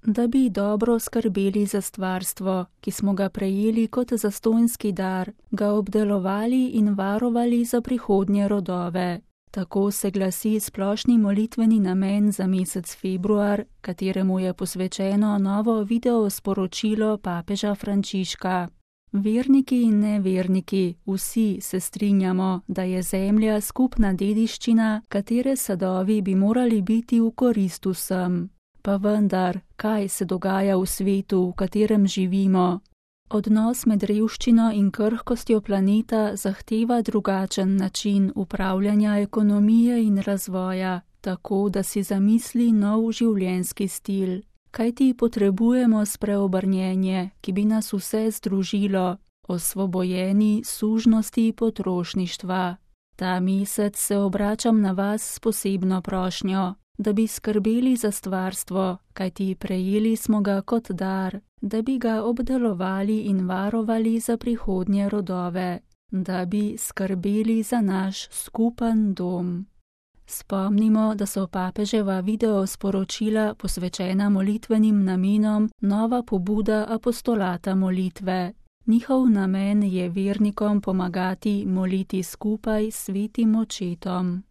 da bi dobro skrbeli za stvarstvo, ki smo ga prejeli kot zastonjski dar, ga obdelovali in varovali za prihodnje rodove. Tako se glasi splošni molitveni namen za mesec februar, kateremu je posvečeno novo video sporočilo papeža Frančiška. Verniki in neverniki, vsi se strinjamo, da je zemlja skupna dediščina, katere sadovi bi morali biti v korist vsem. Pa vendar, kaj se dogaja v svetu, v katerem živimo? Odnos med revščino in krhkostjo planeta zahteva drugačen način upravljanja ekonomije in razvoja, tako da si zamisli nov življenjski stil. Kajti potrebujemo spreobrnjenje, ki bi nas vse združilo, osvobojeni sužnosti potrošništva. Ta mesec se obračam na vas s posebno prošnjo, da bi skrbeli za stvarstvo, kajti prejeli smo ga kot dar, da bi ga obdelovali in varovali za prihodnje rodove, da bi skrbeli za naš skupen dom. Spomnimo, da so papeževa video sporočila posvečena molitvenim namenom nova pobuda apostolata molitve. Njihov namen je vernikom pomagati moliti skupaj s svetim očetom.